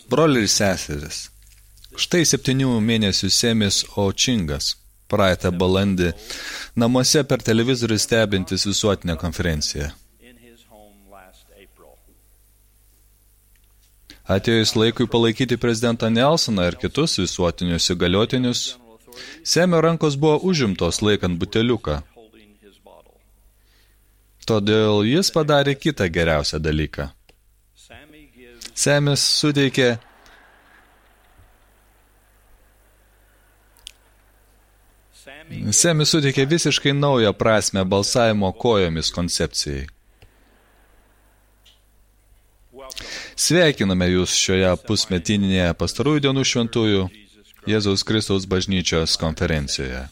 Broliai ir seseris, štai 7 mėnesių Semis Očingas, praeitą balandį, namuose per televizorių stebintis visuotinę konferenciją. Atėjus laikui palaikyti prezidentą Nelsoną ir kitus visuotinius įgaliotinius, Semio rankos buvo užimtos laikant buteliuką. Todėl jis padarė kitą geriausią dalyką. Semis suteikė visiškai naują prasmę balsavimo kojomis koncepcijai. Sveikiname jūs šioje pusmetinėje pastarųjų dienų šventųjų Jėzaus Kristaus bažnyčios konferencijoje.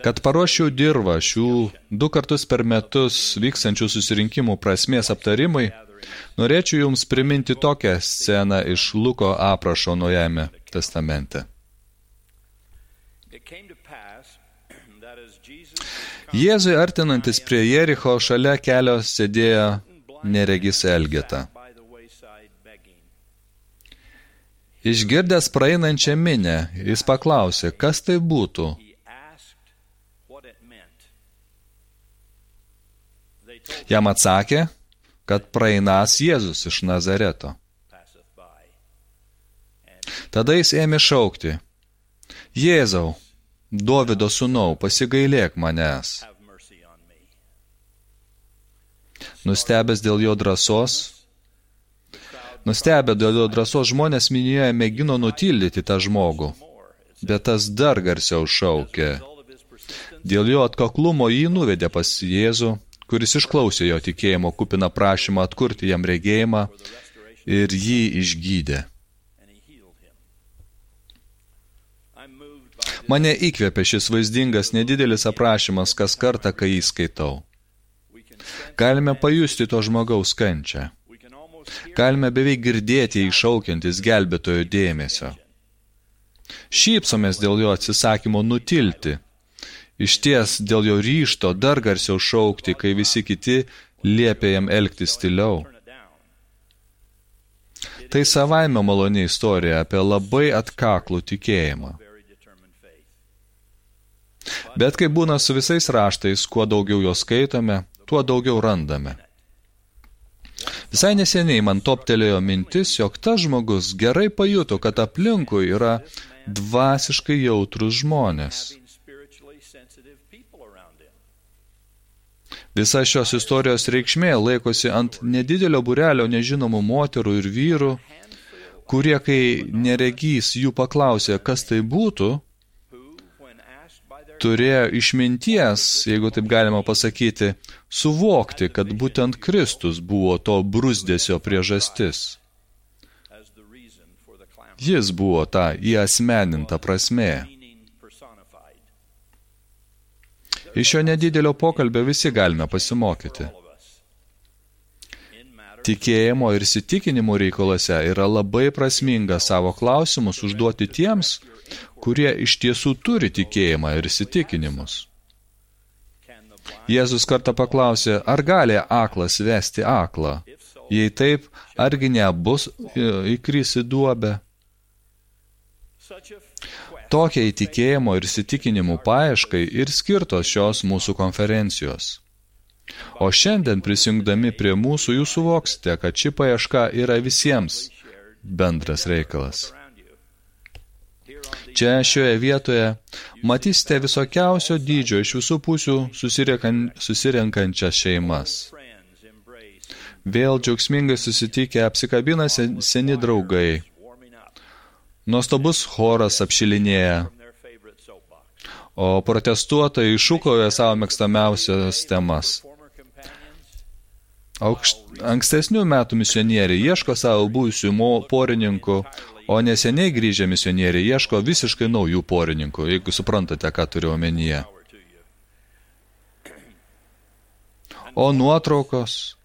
Kad paruoščiau dirvą šių 2 kartus per metus vykstančių susirinkimų prasmės aptarimui, norėčiau jums priminti tokią sceną iš Luko aprašo Naujajame testamente. Jėzui artinantis prie Jericho šalia kelio sėdėjo neregys Elgeta. Išgirdęs praeinančią minią, jis paklausė, kas tai būtų. Jam atsakė, kad praeinąs Jėzus iš Nazareto. Tada jis ėmė šaukti, Jėzau, Dovido sūnau, pasigailėk manęs. Nustebę dėl jo drąsos žmonės minioje mėgino nutildyti tą žmogų, bet tas dar garsiau šaukė. Dėl jo atkaklumo jį nuvedė pas Jėzų, kuris išklausė jo tikėjimo kupiną prašymą atkurti jam regėjimą ir jį išgydė. Mane įkvėpė šis vaizdingas nedidelis aprašymas kas kartą, kai jį skaitau. Galime pajusti to žmogaus kančią. Galime beveik girdėti iššaukiantis gelbėtojo dėmesio. Šypsomės dėl jo atsisakymo nutilti. Išties dėl jo ryžto dar garsiau šaukti, kai visi kiti liepė jam elgtis tyliau. Tai savaime maloni istorija apie labai atkaklų tikėjimą. Bet kaip būna su visais raštais, kuo daugiau jo skaitome, tuo daugiau randame. Visai neseniai man toptelėjo mintis, jog tas žmogus gerai pajuto, kad aplinkui yra dvasiškai jautrus žmonės. Visa šios istorijos reikšmė laikosi ant nedidelio būrelio nežinomų moterų ir vyrų, kurie, kai neregys jų paklausė, kas tai būtų, turėjo išminties, jeigu taip galima pasakyti, suvokti, kad būtent Kristus buvo to bruzdesio priežastis. Jis buvo ta įasmeninta prasmė. Iš šio nedidelio pokalbio visi galime pasimokyti. Tikėjimo ir įsitikinimų reikalose yra labai prasminga savo klausimus užduoti tiems, kurie iš tiesų turi tikėjimą ir įsitikinimus. Jėzus kartą paklausė, ar gali aklas vesti aklą? Jei taip, argi nebus įkris į duobę? Tokia įtikėjimo ir įsitikinimų paieškai ir skirtos šios mūsų konferencijos. O šiandien prisijungdami prie mūsų jūs suvoksite, kad ši paieška yra visiems bendras reikalas. Čia šioje vietoje matysite visokiausio dydžio iš visų pusių susirenkančias šeimas. Vėl džiaugsmingai susitikę apsikabina seni draugai. Nuostabus choras apšilinėja, o protestuotojai šūkauja savo mėgstamiausias temas. Ankstesnių metų misionieriai ieško savo buvusių porininkų, o neseniai grįžę misionieriai ieško visiškai naujų porininkų, jeigu suprantate, ką turiu omenyje. O nuotraukos?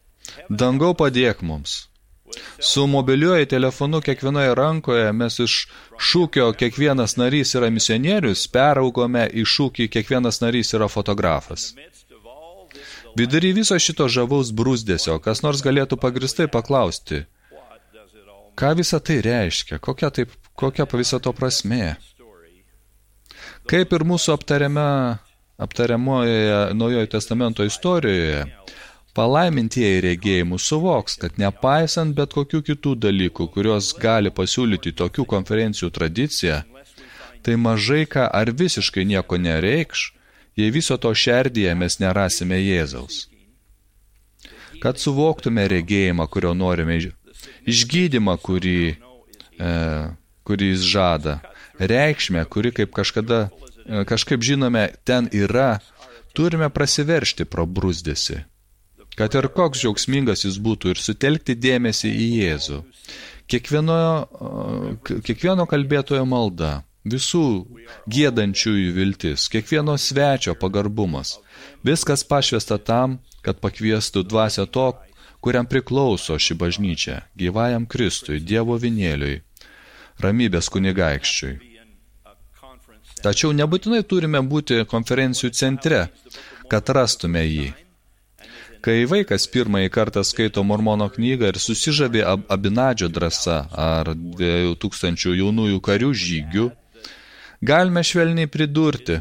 Dangau padėk mums. Su mobiliuoju telefonu kiekvienoje rankoje mes iš šūkio kiekvienas narys yra misionierius peraugome į šūkį kiekvienas narys yra fotografas. Vidury viso šito žavaus brūzdesio, kas nors galėtų pagristai paklausti, Ką visa tai reiškia? Kokia viso to prasmė? Kaip ir mūsų aptariamoje Naujojo testamento istorijoje, palaimintieji regėjimų suvoks, kad nepaisant bet kokių kitų dalykų, kurios gali pasiūlyti tokių konferencijų tradiciją, tai mažai ką ar visiškai nieko nereikš, jei viso to šerdyje mes nerasime Jėzaus. Kad suvoktume regėjimą, kurio norime, išgydymą, kurį jis žada, reikšmę, kuri kažkaip žinome ten yra, turime prasiveršti pro bruzdesį. Kad ir koks džiaugsmingas jis būtų ir sutelkti dėmesį į Jėzų. Kiekvieno kalbėtojo malda, visų giedančiųjų viltis, kiekvieno svečio pagarbumas, viskas pašvesta tam, kad pakviestų dvasią to, kuriam priklauso ši bažnyčia, gyvajam Kristui, Dievo vinėliui, ramybės kunigaikščiui. Tačiau nebūtinai turime būti konferencijų centre, kad rastume jį. Kai vaikas pirmąjį kartą skaito Mormono knygą ir susižavė Abinadžio drąsa ar 2000 jaunųjų karių žygių, galime švelniai pridurti,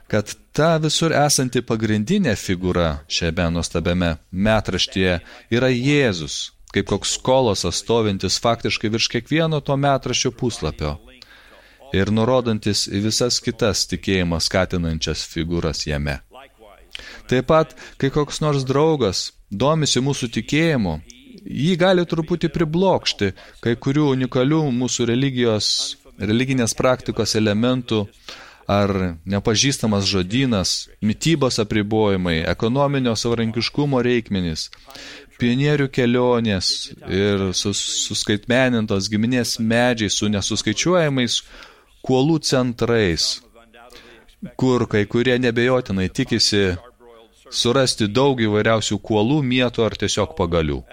kad ta visur esanti pagrindinė figūra šiame nuostabiame metraštyje yra Jėzus, kaip koks kolosas stovintis faktiškai virš kiekvieno to metraščio puslapio ir nurodantis į visas kitas tikėjimą skatinančias figūras jame. Taip pat, kai koks nors draugas domisi mūsų tikėjimu, jį gali truputį priblokšti kai kurių unikalių mūsų religinės praktikos elementų ar nepažįstamas žodynas, mitybos apribojimai, ekonominio savarankiškumo reikmenys, pionierių kelionės ir suskaitmenintos giminės medžiai su nesuskaičiuojamais kuolų centrais, kur kai kurie nebejotinai tikisi surasti daug įvairiausių kuolų, mietų ar tiesiog pagalių.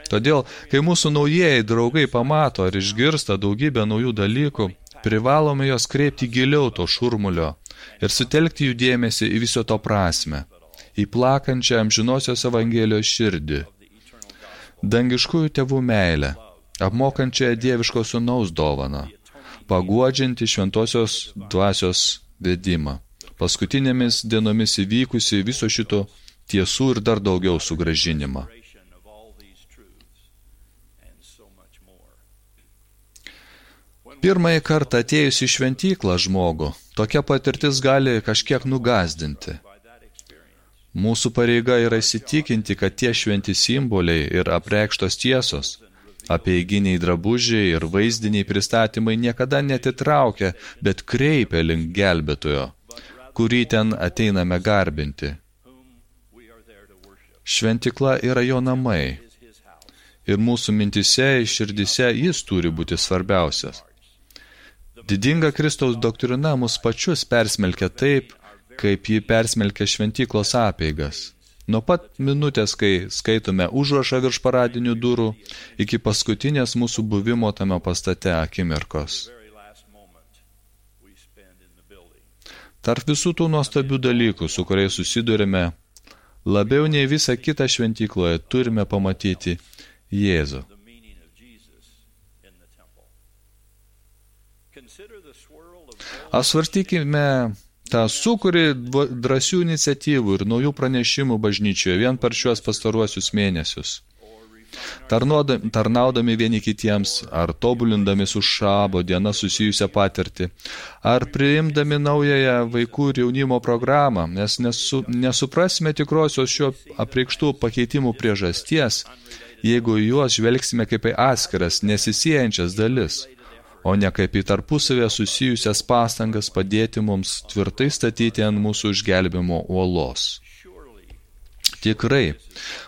Todėl, kai mūsų naujieji draugai pamato ar išgirsta daugybę naujų dalykų, privalome jos kreipti giliau to šurmulio ir sutelkti jų dėmesį į viso to prasmę, į plakančią amžinosios evangelijos širdį, dangiškųjų tėvų meilę, apmokančią dieviško sūnaus dovaną, paguodžianti šventosios dvasios vedimą, paskutinėmis dienomis įvykusi viso šito tiesų ir dar daugiau sugrąžinimą. Pirmąjį kartą atėjus į šventyklą žmogų, tokia patirtis gali kažkiek nugazdinti. Mūsų pareiga yra įsitikinti, kad tie šventi simboliai ir apreikštos tiesos, apieiginiai drabužiai ir vaizdiniai pristatymai niekada netitraukia, bet kreipia link gelbėtojo, kurį ten ateiname garbinti. Šventykla yra jo namai ir mūsų mintise ir širdise jis turi būti svarbiausias. Didinga Kristaus doktrina mus pačius persmelkia taip, kaip ji persmelkia šventyklos apeigas. Nuo pat minutės, kai skaitome užrašą virš paradinių durų, iki paskutinės mūsų buvimo tame pastate akimirkos. Tarp visų tų nuostabių dalykų, su kuriais susidurime, labiau nei visą kitą šventykloje turime pamatyti Jėzų. Apsvarstykime tą sūkurį drąsių iniciatyvų ir naujų pranešimų bažnyčioje vien per šiuos pastaruosius mėnesius. Tarnaudami vieni kitiems, ar tobulindami su šabo diena susijusią patirtį, ar priimdami naująją vaikų ir jaunimo programą, nes nesuprasime tikrosios šio apreikštų pakeitimų priežasties, jeigu juos žvelgsime kaip į atskiras, nesisiejančias dalis, o ne kaip į tarpusavę susijusias pastangas padėti mums tvirtai statyti ant mūsų išgelbimo uolos. Tikrai,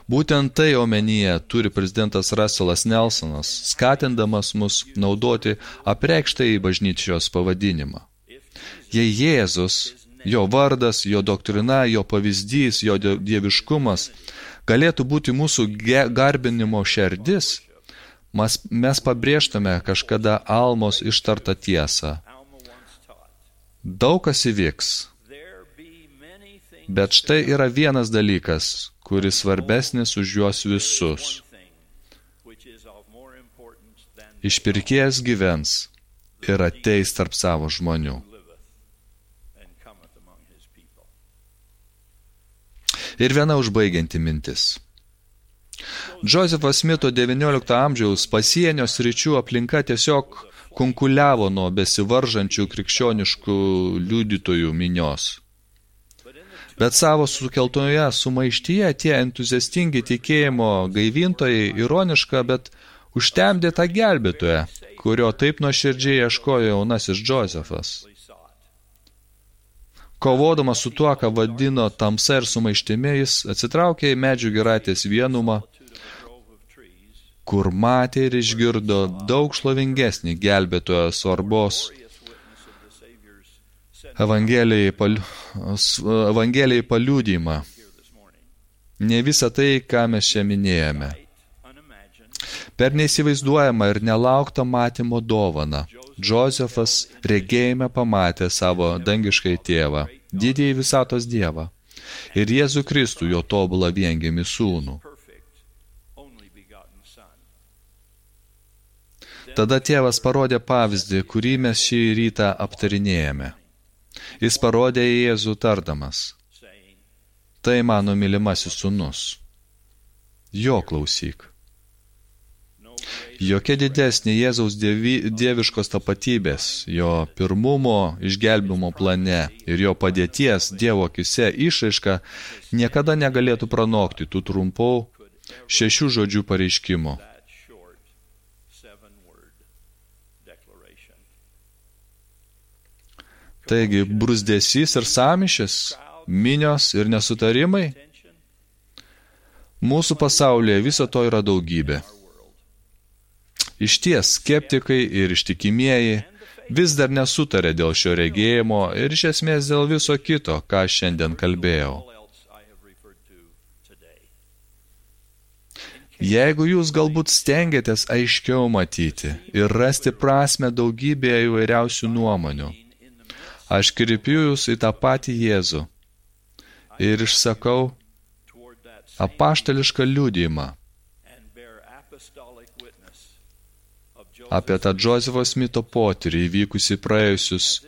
būtent tai omenyje turi prezidentas Russellas Nelsonas, skatindamas mus naudoti apreikštąjį bažnyčios pavadinimą. Jei Jėzus, jo vardas, jo doktrina, jo pavyzdys, jo dieviškumas galėtų būti mūsų garbinimo šerdis, mes pabrėžtume kažkada Almos ištartą tiesą. Daug kas įvyks, bet štai yra vienas dalykas, kuris svarbesnis už juos visus. Išpirkėjas gyvens ir ateis tarp savo žmonių. Ir viena užbaigianti mintis. Džozefo Smito XIX amžiaus pasienio sričių aplinka tiesiog kunkuliavo nuo besivaržančių krikščioniškų liudytojų minios. Bet savo sukeltoje sumaištyje tie entuziastingi tikėjimo gaivintojai ironiška, bet užtemdė tą gelbėtoją, kurio taip nuoširdžiai ieškojo jaunasis Džozefas. Kovodamas su tuo, ką vadino tamsa ir sumaištimi, jis atsitraukė į medžių giraitės vienumą, kur matė ir išgirdo daug šlovingesnį gelbėtojo svarbos Evangelijai paliudijimą. Ne visą tai, ką mes čia minėjome. Per neįsivaizduojamą ir nelauktą matymo dovaną, Džozefas regėjime pamatė savo dangiškai tėvą, didįjį visatos Dievą, ir Jėzų Kristų, jo tobulą viengimį sūnų. Tada tėvas parodė pavyzdį, kurį mes šį rytą aptarinėjame. Jis parodė į Jėzų tardamas: tai mano mylimasis sūnus. Jo klausyk. Jokia didesnė Jėzaus dieviškos tapatybės, jo pirmumo išgelbimo plane ir jo padėties Dievo akyse išraiška niekada negalėtų pranokti tų trumpų 6 žodžių pareiškimų. Taigi, bruzdesys ir sąmyšis, minios ir nesutarimai. Mūsų pasaulyje viso to yra daugybė. Išties, skeptikai ir ištikimieji vis dar nesutarė dėl šio regėjimo ir iš esmės dėl viso kito, ką šiandien kalbėjau. Jeigu jūs galbūt stengiatės aiškiau matyti ir rasti prasmę daugybėje įvairiausių nuomonių, aš kreipiu jūs į tą patį Jėzų ir išsakau apaštališką liudijimą apie tą Džozefo Smito potyrį įvykusį praėjus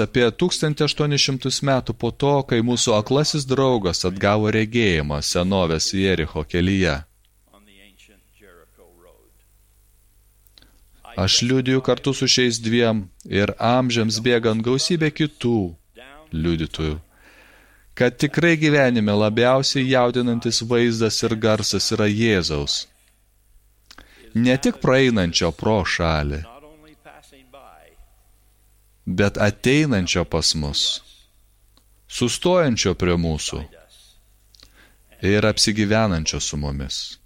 apie 1800 metų po to, kai mūsų aklasis draugas atgavo regėjimą senovės Jericho kelyje. Aš liudiju kartu su šiais dviem ir amžiams bėgant gausybė kitų liudytojų, kad tikrai gyvenime labiausiai jaudinantis vaizdas ir garsas yra Jėzaus. Ne tik praeinančio pro šalį, bet ateinančio pas mus, sustojančio prie mūsų ir apsigyvenančio su mumis.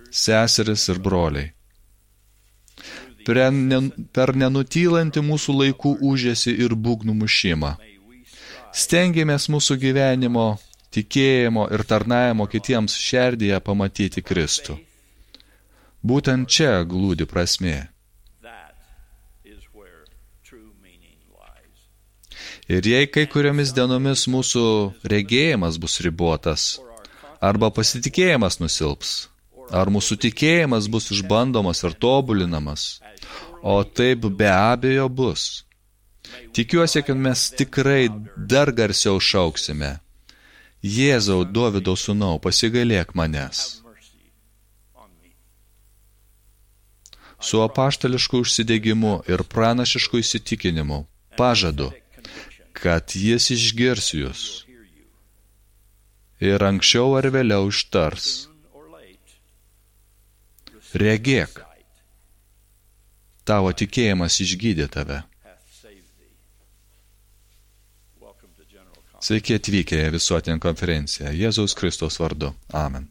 Seseris ir broliai, per nenutylantį mūsų laikų ūžesį ir būgnų mušimą, stengiamės mūsų gyvenimo, tikėjimo ir tarnavimo kitiems šerdyje pamatyti Kristų. Būtent čia glūdi prasmė. Ir jei kai kuriomis dienomis mūsų regėjimas bus ribotas, arba pasitikėjimas nusilps, ar mūsų tikėjimas bus išbandomas ir tobulinamas, o taip be abejo bus. Tikiuosi, kad mes tikrai dar garsiau šauksime: Jėzau, Dovydo sūnau, pasigailėk manęs. Su apaštališku užsidegimu ir pranašišku įsitikinimu pažadu, kad jis išgirs jūs ir anksčiau ar vėliau ištars: regėk, tavo tikėjimas išgydė tave. Sveiki atvykę į visuotinę konferenciją Jėzaus Kristaus vardu. Amen.